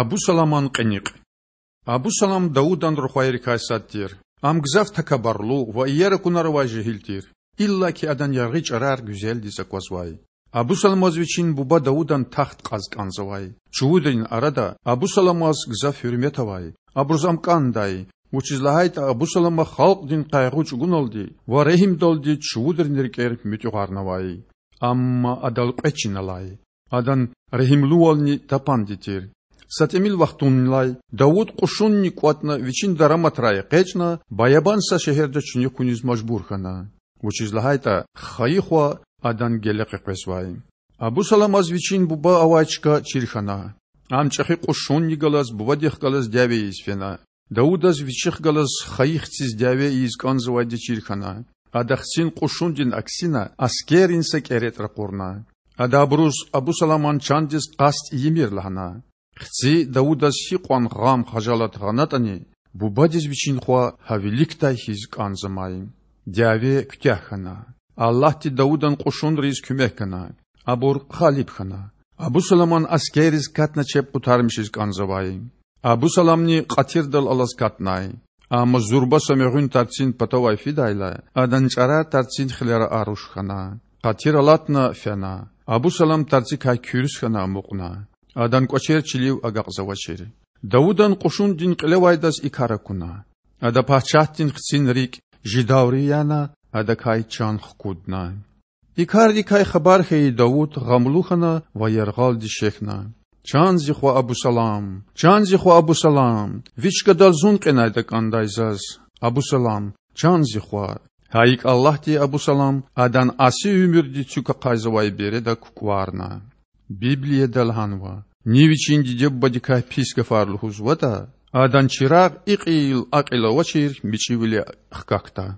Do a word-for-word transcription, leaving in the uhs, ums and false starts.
Абусаламан кьиникь. Абусалам Давудан рухвайрикай сад тир. Ам гзаф такабурлу ва иер акунар авай жегьил тир. Иллаки адан яргъи чІарар гуьзелдиз аквазвай. Абусаламаз вичин буба Давудан тахт кьаз кІанзавай. Чувудрин арада Абусаламаз гзаф гьуьрмет авай. Абуруз ам кІандай, вучиз лагьайтІа Абусалама халкьдин къайгъу чІугуналди ва регьимдалди чувудрин рикІер муьтІуьгъарнавай. Амма адал кьве чин алай. Адан регьимлувални тапанди тир. Са тІимил вахтунилай Давуд кьушунни кІватІна вичин дараматрай экъечІна баябан са шегьерда чуьнуьх хьуниз мажбур хьана, вучиз лагьайтІа хайи хва адан геле къекъвезвай. Абусаламаз вичин буба авай чка чир хьана. Ам чІехи кьушунни галаз бубадихъ галаз дяве ийиз фена. Давудаз вичихъ галаз хайи хциз дяве ийиз кІанзавайди чир хьана. Ада хцин кьушундин аксина аскеррин са кІеретІ ракъурна. Ада абуруз Абусаламан чандиз къаст ийимир лагьана. Хци Давудаз гьикьван гъам-хажалат гъанатІани, бубадиз вичин хва гьа виликдай хьиз кІанзамай. Дяве куьтягь хьана. Аллагьди Давудан кьушунриз куьмек гана. Абур гъалиб хьана. Абусаламан аскерриз катна чеб къутармишиз кІанзавай. Абусаламни къатирдал алаз катнай. Амма зурба са мегъуьн тарцин патавай фидайла, адан чІарар тарцин хилера аруш хьана. Къатир алатна фена. Абусалам тарцикай куьрс хьана амукьна. Адан кІвачер чилив агакьзавачир. Давудан кьушундин кьилевайдаз и кар акуна. Ада пачагьдин хцин рикІ жидайри яна, адакай чан хкудна. И кардикай хабар хьайи Давуд гъамлу хьана ва яргъалди шехьна: Чан зи хва Абусалам! Чан зи хва Абусалам! Ви чкадал зун кьенайтІа кІандай заз, Абусалам, чан зи хва! Гьа икІ Аллагьди Абусалам адан аси уьмуьрди цуьк ахъайзавай береда кукІварна. Библияда лагьанва: Ни вичин диде-бубадикай пис гафар лугьузватІа, адан чирагъ и кьил а кьил авачир мичІивиле хкахьда.